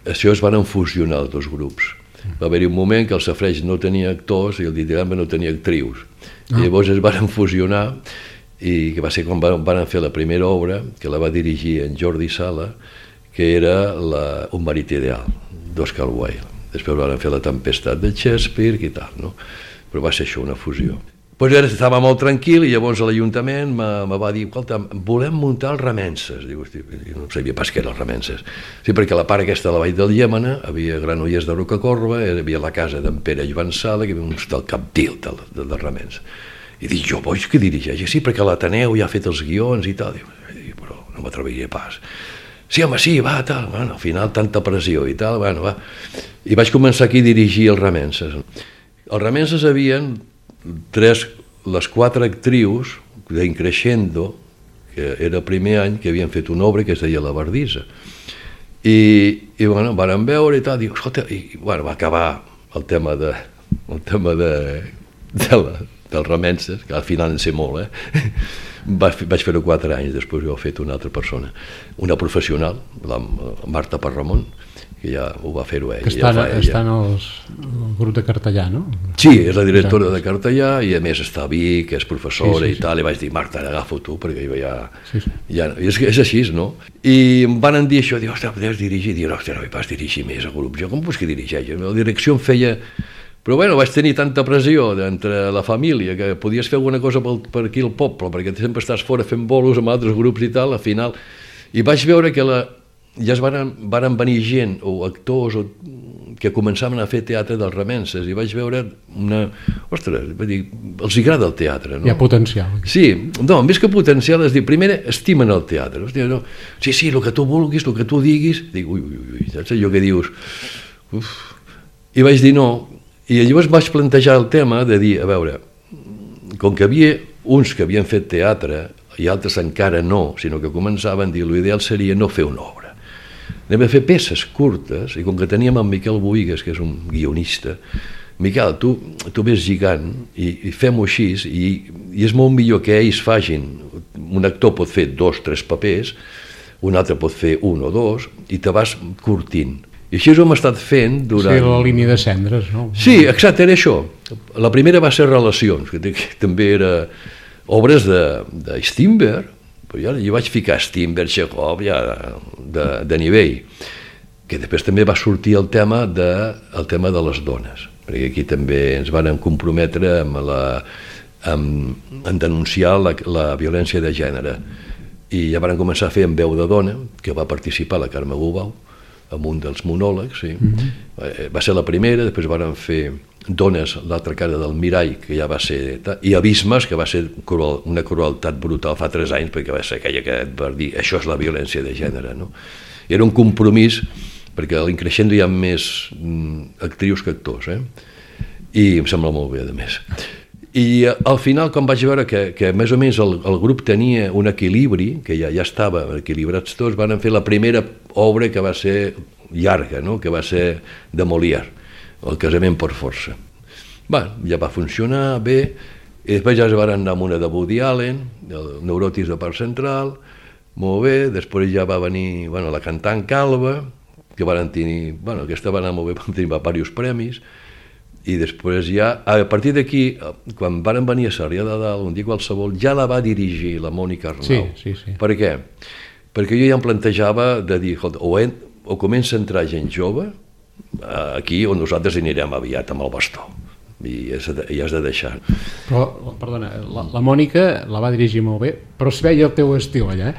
Speaker 5: això es van fusionar els dos grups. Va haver-hi un moment que el safareig no tenia actors i el ditiramba no tenia actrius. I llavors es van fusionar, i que va ser quan van fer la primera obra, que la va dirigir en Jordi Sala, que era Un marit ideal, d'Oscar Wilde. Després van fer La tempestat de Shakespeare i tal, no? Però va ser això, una fusió. Pues ara estava molt tranquil i llavors l'Ajuntament me va dir, escolta, volem muntar els Remences. Diu, jo no sabia pas què eren els Remences. Sí, perquè la part aquesta de la Vall del Llémena, havia Granollers de Rocacorba, hi havia la casa d'en Pere Joan Sala, que hi havia un del Capdil dels Remences. I dic, jo vols que dirigeixi? Sí, perquè l'Ateneu ja ha fet els guions i tal. Dic, però no m'atreviria pas. Sí, home, sí, va, tal. Bueno, al final tanta pressió i tal, bueno, va. I vaig començar aquí a dirigir els Remences. Els Remences havien les 4 actrius d'Increscendo, que era el primer any que havien fet una obra que es deia La Verdissa. I bueno, van veure i tal, diu, escolta, i bueno, va acabar el tema dels Remences, que al final en sé molt, vaig fer-ho 4 anys, després ho ha fet una altra persona, una professional, la Marta Parramon, que ja ho va fer-ho ella.
Speaker 4: Que està en el grup de Cartellà, no?
Speaker 5: Sí, és la directora de Cartellà i a més està a Vic, que és professora i tal, i vaig dir, Marta, agafo tu, perquè jo ja... És així, no? I em van dir això, diu, ostres, podries dirigir? Diu, ostres, no hi vas dirigir més el grup. Jo, com vols que dirigeix? La direcció em feia... Però bueno, vaig tenir tanta pressió entre la família que podies fer alguna cosa per aquí al poble, perquè sempre estàs fora fent bolos amb altres grups i tal, al final... I vaig veure que ja es van venir gent o actors que començaven a fer teatre dels Remences i vaig veure ostres, els agrada el teatre, no?
Speaker 4: Hi ha potencial.
Speaker 5: Sí, no, més que potencial és dir, primer estimen el teatre, hòstia, no? Sí, el que tu vulguis, el que tu diguis, dic, ui, saps allò que dius? Uf. I vaig dir no, i llavors vaig plantejar el tema de dir, a veure, com que havia uns que havien fet teatre i altres encara no, sinó que començaven a dir, l'ideal seria no fer una obra. Anem a fer peces curtes, i com que teníem en Miquel Boigues, que és un guionista, Miquel, tu ves lligant i fem-ho així, i és molt millor que ells facin, un actor pot fer 2 o 3 papers, un altre pot fer 1 o 2, i te vas curtint. I així ho hem estat fent durant...
Speaker 4: Sí, la línia de cendres, no?
Speaker 5: Sí, exacte, era això. La primera va ser Relacions, que també era obres de Strindberg, però jo vaig ficar Strindberg, Chekhov, ja de nivell, que després també va sortir el tema de les dones, perquè aquí també ens van comprometre en denunciar la violència de gènere, i ja van començar a fer En veu de dona, que va participar la Carme Gubau, amb un dels monòlegs, sí. Va ser la primera, després van fer Dones, l'altra cara del mirall, que ja va ser... I Abismes, que va ser una crueltat brutal fa 3 anys, perquè va ser aquella que va dir això és la violència de gènere, no? Era un compromís, perquè a l'Increscendo hi ha més actrius que actors, i em sembla molt bé, a més. I al final, quan vaig veure que més o menys el grup tenia un equilibri, que ja estava equilibrats tots, van fer la primera obra que va ser llarga, no? Que va ser de Molière, El casament per força. Ja va funcionar bé, i després ja es van anar amb una de Woody Allen, el Neurotis de Parc Central, molt bé, després ja va venir la cantant Calva, que van tenir, aquesta va anar molt bé, van tenir diversos premis, i després ja, a partir d'aquí, quan van venir a Sarrià de Dalt, un dia qualsevol, ja la va dirigir la Mònica Arnau.
Speaker 4: Sí.
Speaker 5: Per què? Perquè jo ja em plantejava de dir, o comença a entrar gent jove, aquí on nosaltres anirem aviat amb el bastó, i has de deixar.
Speaker 4: Però, perdona, la Mònica la va dirigir molt bé, però es veia el teu estil allà,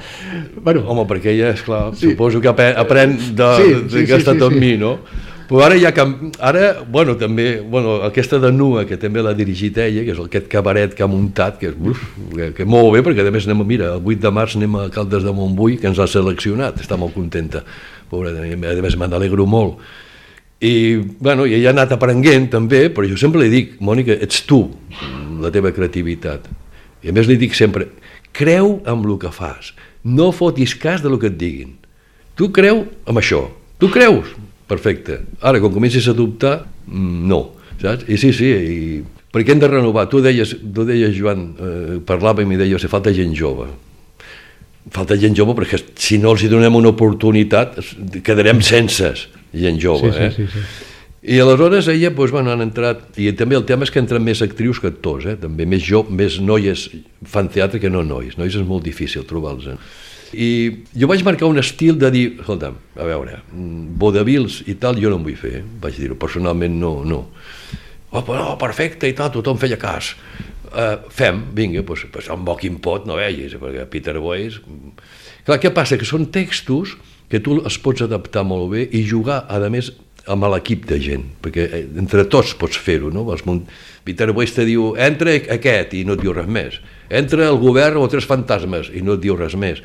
Speaker 5: Home, perquè ella, esclar, suposo que aprèn que ha estat amb mi, no? Però ara ja també, aquesta de Nua, que també l'ha dirigit ella, que és aquest cabaret que ha muntat, que és molt bé, perquè a més el 8 de març anem a Caldes de Montbui, que ens ha seleccionat, està molt contenta, pobra, a més me n'alegro molt. I ella ha anat aprenent també, però jo sempre li dic, Mònica, ets tu, la teva creativitat. I a més li dic sempre, creu en el que fas, no fotis cas del que et diguin. tu creu en això, tu creus, perfecte. Ara, quan comencis a dubtar, no, saps? I sí, i per què hem de renovar? Tu deies Joan, parlàvem i deies que falta gent jove. Falta gent jove perquè si no els hi donem una oportunitat quedarem sense gent jove.
Speaker 4: Sí.
Speaker 5: I aleshores ella, han entrat, i també el tema és que entren més actrius que actors, també més noies fan teatre que no nois és molt difícil trobar-los. I jo vaig marcar un estil de dir, escolta'm, a veure, vodevils i tal jo no en vull fer, vaig dir-ho, personalment no. Perfecte i tal, tothom feia cas. Fem, vinga, doncs amb bo quin pot no vegis, perquè Peter Boyce... Clar, què passa? Que són textos que tu els pots adaptar molt bé i jugar, a més, amb l'equip de gent, perquè entre tots pots fer-ho, no? Peter Boyce te diu, entra aquest, i no et diu res més. Entra el govern o tres fantasmes, i no et diu res més.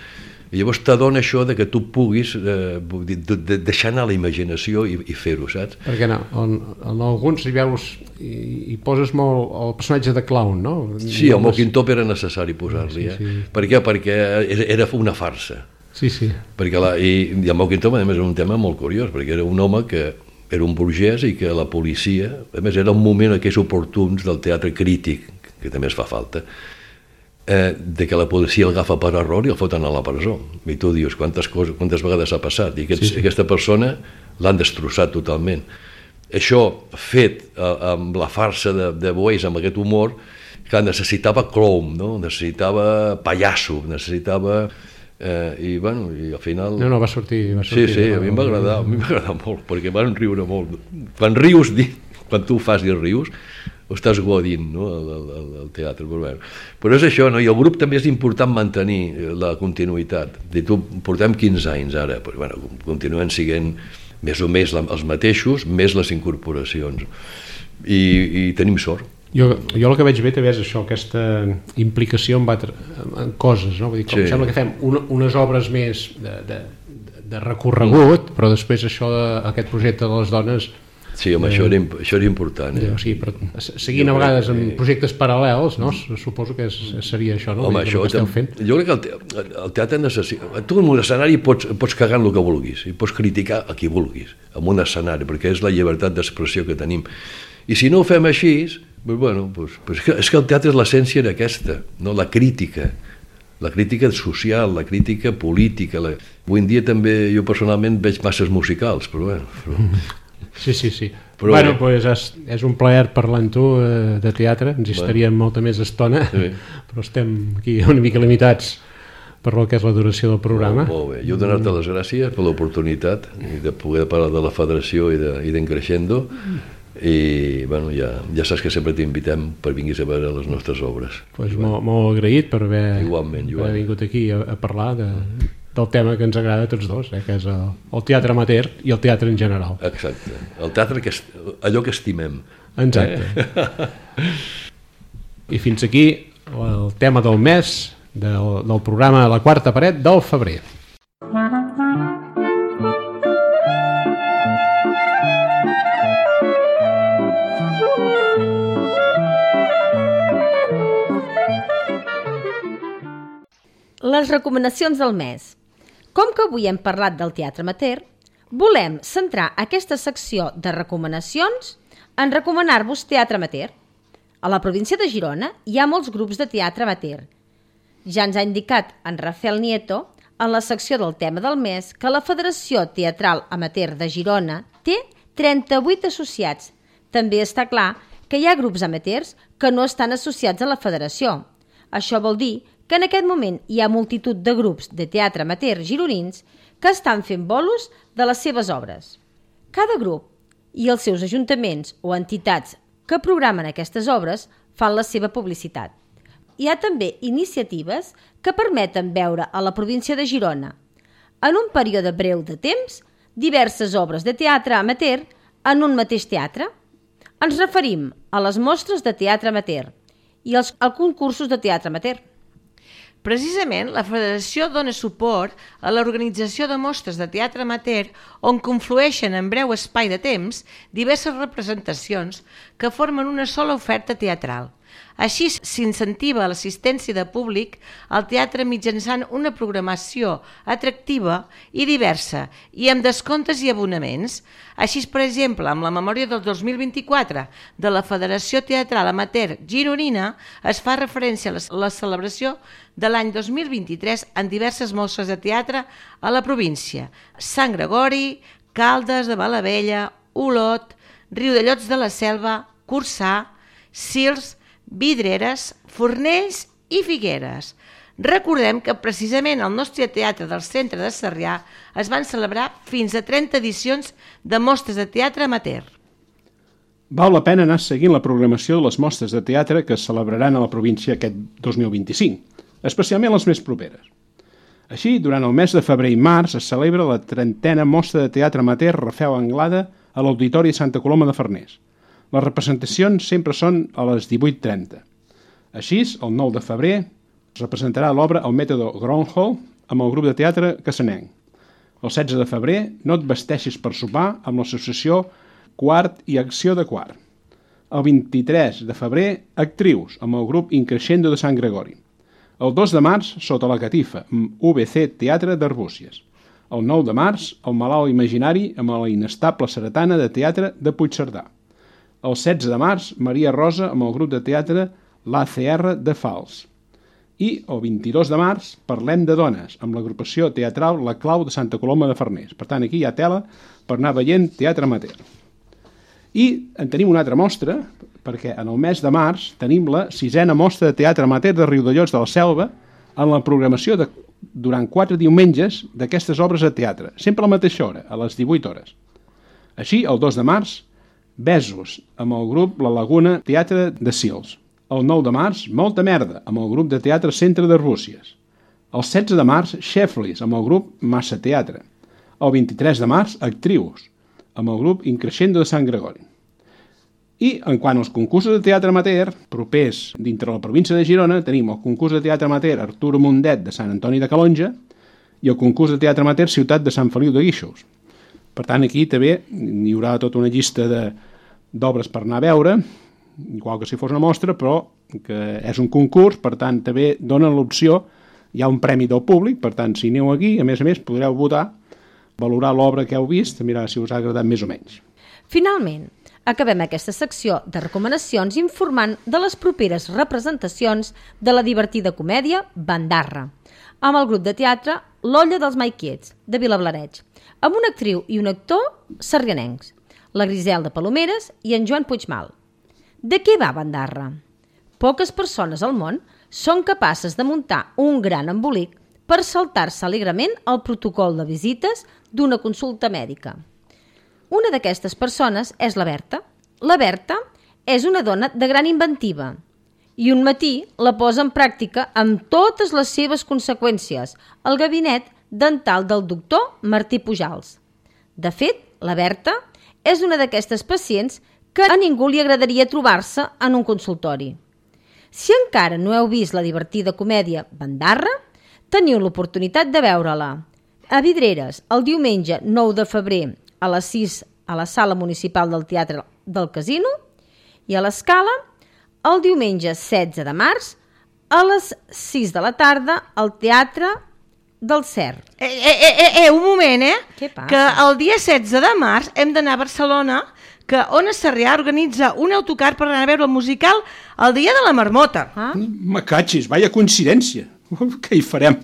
Speaker 5: I llavors t'adona això de que tu puguis deixar anar la imaginació i fer-ho, saps?
Speaker 4: Perquè no, en alguns hi veus i poses molt el personatge de clown, no?
Speaker 5: Sí, el Moquintop era necessari posar-li,
Speaker 4: sí.
Speaker 5: Per què? Perquè era una farsa.
Speaker 4: Sí.
Speaker 5: Perquè i el Moquintop, a més, era un tema molt curiós, perquè era un home que era un burgès i que la policia, a més, era un moment aquells oportuns del teatre crític, que també es fa falta, de que la policia el agafa per error i el foten a la presó. I tu dius, quantes vegades ha passat? I aquesta persona l'han destrossat totalment. Això, fet amb la farsa de Boyce, amb aquest humor, que necessitava clown, no? Necessitava pallasso, necessitava... I al final...
Speaker 4: No, va sortir.
Speaker 5: Sí, a mi em va agradar molt, perquè van riure molt. Quan rius, quan tu ho fas i rius, ho estàs godint, no?, el teatre. Però és això, no? I el grup també és important mantenir la continuïtat. Portem 15 anys ara, però continuen sent més o més els mateixos, més les incorporacions. I tenim sort.
Speaker 4: Jo el que veig bé també és això, aquesta implicació en coses, no? Vull dir, com sembla que fem unes obres més de recorregut, però després això, aquest projecte de les dones...
Speaker 5: Sí, home, això era important.
Speaker 4: Sí, però seguint a vegades en projectes paral·lels, no? Suposo que seria això, no?
Speaker 5: Home, això jo crec que el teatre necessita... Tu en un escenari pots cagar en el que vulguis i pots criticar a qui vulguis en un escenari, perquè és la llibertat d'expressió que tenim. I si no ho fem així, és que el teatre és l'essència d'aquesta, no? La crítica social, la crítica política. Avui en dia també jo personalment veig masses musicals, però
Speaker 4: Sí. Però és un plaer parlar amb tu de teatre, ens hi estaríem molta més estona, però estem aquí una mica limitats per el que és la duració del programa.
Speaker 5: Molt bé, jo donar-te les gràcies per l'oportunitat de poder parlar de la federació i d'en Creixendo, i ja saps que sempre t'invitem per vinguis a veure les nostres obres.
Speaker 4: Molt agraït per haver vingut aquí a parlar del tema que ens agrada a tots dos, que és el teatre amateur i el teatre en general.
Speaker 5: Exacte, el teatre, allò que estimem.
Speaker 4: Exacte. I fins aquí el tema del mes del programa La Quarta Paret del febrer.
Speaker 3: Les recomanacions del mes. Com que avui hem parlat del teatre amateur, volem centrar aquesta secció de recomanacions en recomanar-vos teatre amateur. A la província de Girona hi ha molts grups de teatre amateur. Ja ens ha indicat en Rafael Nieto, en la secció del tema del mes, que la Federació Teatral Amateur de Girona té 38 associats. També està clar que hi ha grups amateurs que no estan associats a la federació. Això vol dir que en aquest moment hi ha multitud de grups de teatre amateur gironins que estan fent bolos de les seves obres. Cada grup i els seus ajuntaments o entitats que programen aquestes obres fan la seva publicitat. Hi ha també iniciatives que permeten veure a la província de Girona, en un període breu de temps, diverses obres de teatre amateur en un mateix teatre. Ens referim a les mostres de teatre amateur i als concursos de teatre amateur.
Speaker 1: Precisament, la Federació dona suport a l'organització de mostres de teatre amateur on conflueixen en breu espai de temps diverses representacions que formen una sola oferta teatral. Així s'incentiva l'assistència de públic al teatre mitjançant una programació atractiva i diversa i amb descomptes i abonaments. Així, per exemple, amb la memòria del 2024 de la Federació Teatral Amateur Gironina es fa referència a la celebració de l'any 2023 en diverses mostres de teatre a la província: Sant Gregori, Caldes de Malavella, Olot, Riudellots de la Selva, Corçà, Sils, Vidreres, Fornells i Figueres. Recordem que precisament al nostre teatre del centre de Sarrià es van celebrar fins a 30 edicions de mostres de teatre amateur.
Speaker 2: Val la pena anar seguint la programació de les mostres de teatre que es celebraran a la província aquest 2025, especialment les més properes. Així, durant el mes de febrer i març es celebra la 30a mostra de teatre amateur Rafel Anglada a l'Auditori Santa Coloma de Farners. Les representacions sempre són a les 18:30. Així, el 9 de febrer es representarà l'obra El mètode Gronholm amb el grup de teatre Cassanenc. El 16 de febrer, No et vesteixis per sopar amb l'associació Quart i Acció de Quart. El 23 de febrer, Actrius amb el grup Increscendo de Sant Gregori. El 2 de març, Sota la catifa amb UBC Teatre d'Arbúcies. El 9 de març, El malalt imaginari amb la inestable Seretana de Teatre de Puigcerdà. El 16 de març, Maria Rosa amb el grup de teatre l'ACR de Fals. I el 22 de març, Parlem de dones, amb l'agrupació teatral La Clau de Santa Coloma de Farners. Per tant, aquí hi ha tela per anar veient teatre amateur. I en tenim una altra mostra, perquè en el mes de març tenim la 6a mostra de teatre amateur de Riudellots de la Selva en la programació durant 4 diumenges d'aquestes obres de teatre, sempre a la mateixa hora, a les 18 hores. Així, el 2 de març, Besos, amb el grup La Laguna Teatre de Sils. El 9 de març, Molta merda, amb el grup de teatre Centre d'Arbúcies. El 16 de març, Xeflis, amb el grup Massa Teatre. El 23 de març, Actrius, amb el grup Increscendo de Sant Gregori. I, en quant als concursos de teatre amateur, propers dintre la província de Girona, tenim el concurs de teatre amateur Arturo Mundet de Sant Antoni de Calonja i el concurs de teatre amateur Ciutat de Sant Feliu de Guíxols. Per tant, aquí també hi haurà tota una llista d'obres per anar a veure, igual que si fos una mostra, però que és un concurs, per tant, també donen l'opció, hi ha un premi del públic, per tant, si aneu aquí, a més, podreu votar, valorar l'obra que heu vist, mirar si us ha agradat més o menys.
Speaker 3: Finalment, acabem aquesta secció de recomanacions informant de les properes representacions de la divertida comèdia Bandarra, amb el grup de teatre L'Olla dels Maiquiets, de Vilablareig, amb una actriu i un actor sarrianencs, la Griselda Palomeres i en Joan Puigmal. De què va Bandarra? Poques persones al món són capaces de muntar un gran embolic per saltar-se alegrement el protocol de visites d'una consulta mèdica. Una d'aquestes persones és la Berta. La Berta és una dona de gran inventiva i un matí la posa en pràctica amb totes les seves conseqüències al gabinet dental del doctor Martí Pujals. De fet, la Berta és una d'aquestes pacients que a ningú li agradaria trobar-se en un consultori. Si encara no heu vist la divertida comèdia Bandarra, teniu l'oportunitat de veure-la a Vidreres el diumenge 9 de febrer a les 6 a la Sala Municipal del Teatre del Casino i a l'Escala el diumenge 16 de març a les 6 de la tarda al Teatre del Cer.
Speaker 1: Un moment,
Speaker 3: Què passa?
Speaker 1: Que el dia 16 de març hem d'anar a Barcelona, que Ona Sarrià organitza un autocar per anar a veure el musical el dia de la marmota.
Speaker 2: Me catxis, vaya coincidència. Què hi farem?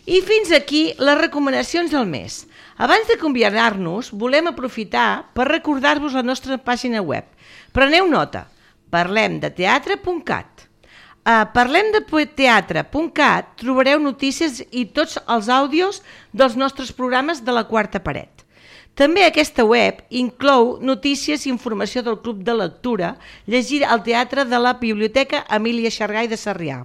Speaker 1: I fins aquí les recomanacions del mes. Abans d'acomiadar-nos, volem aprofitar per recordar-vos la nostra pàgina web. Preneu nota, parlemdeteatre.cat. A parlemdeteatre.cat trobareu notícies i tots els àudios dels nostres programes de la Quarta Paret. També aquesta web inclou notícies i informació del Club de Lectura, llegir al teatre de la Biblioteca Emília Xargay de Sarrià.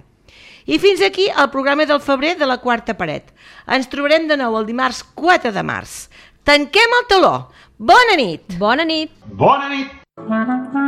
Speaker 1: I fins aquí el programa del febrer de la Quarta Paret. Ens trobarem de nou el dimarts 4 de març. Tanquem el teló. Bona nit!
Speaker 3: Bona nit!
Speaker 4: Bona nit!